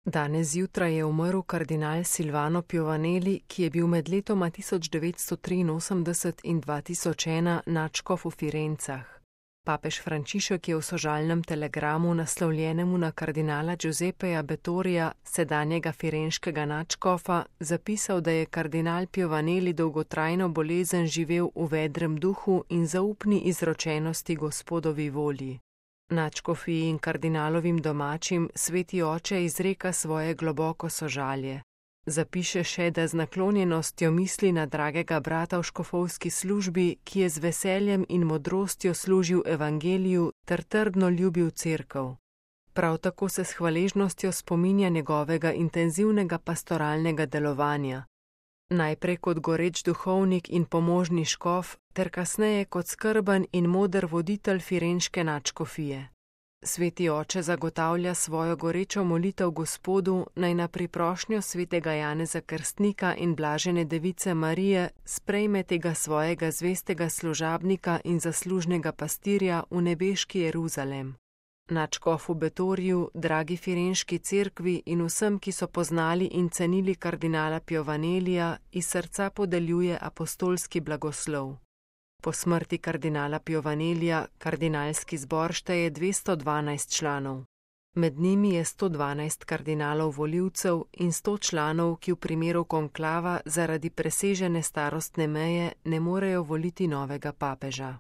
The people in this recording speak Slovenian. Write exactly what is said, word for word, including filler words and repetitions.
Danes zjutraj je umrl kardinal Silvano Piovanelli, ki je bil med letoma tisoč devetsto triinosemdeset in dva tisoč ena nadškof v Firencah. Papež Frančišek je v sožalnem telegramu, naslovljenemu na kardinala Giuseppeja Bettorija, sedanjega firenškega nadškofa, zapisal, da je kardinal Piovanelli dolgotrajno bolezen živel v vedrem duhu in zaupni izročenosti Gospodovi volji. Nadškofiji in kardinalovim domačim sveti oče izreka svoje globoko sožalje. Zapiše še, da z naklonjenostjo misli na dragega brata v škofovski službi, ki je z veseljem in modrostjo služil evangeliju ter trdno ljubil cerkev. Prav tako se s hvaležnostjo spominja njegovega intenzivnega pastoralnega delovanja. Najprej kot goreč duhovnik in pomožni škof, ter kasneje kot skrben in moder voditelj firenške nadškofije. Sveti oče zagotavlja svojo gorečo molitev Gospodu, naj na priprošnjo svetega Janeza Krstnika in blažene device Marije sprejme tega svojega zvestega služabnika in zaslužnega pastirja v nebeški Jeruzalem. Nadškofu Bettoriju, dragi firenški cerkvi in vsem, ki so poznali in cenili kardinala Piovanellija, iz srca podeljuje apostolski blagoslov. Po smrti kardinala Piovanellija kardinalski zbor šteje dvesto dvanajst članov. Med njimi je sto dvanajst kardinalov volivcev in sto članov, ki v primeru konklava zaradi presežene starostne meje ne morejo voliti novega papeža.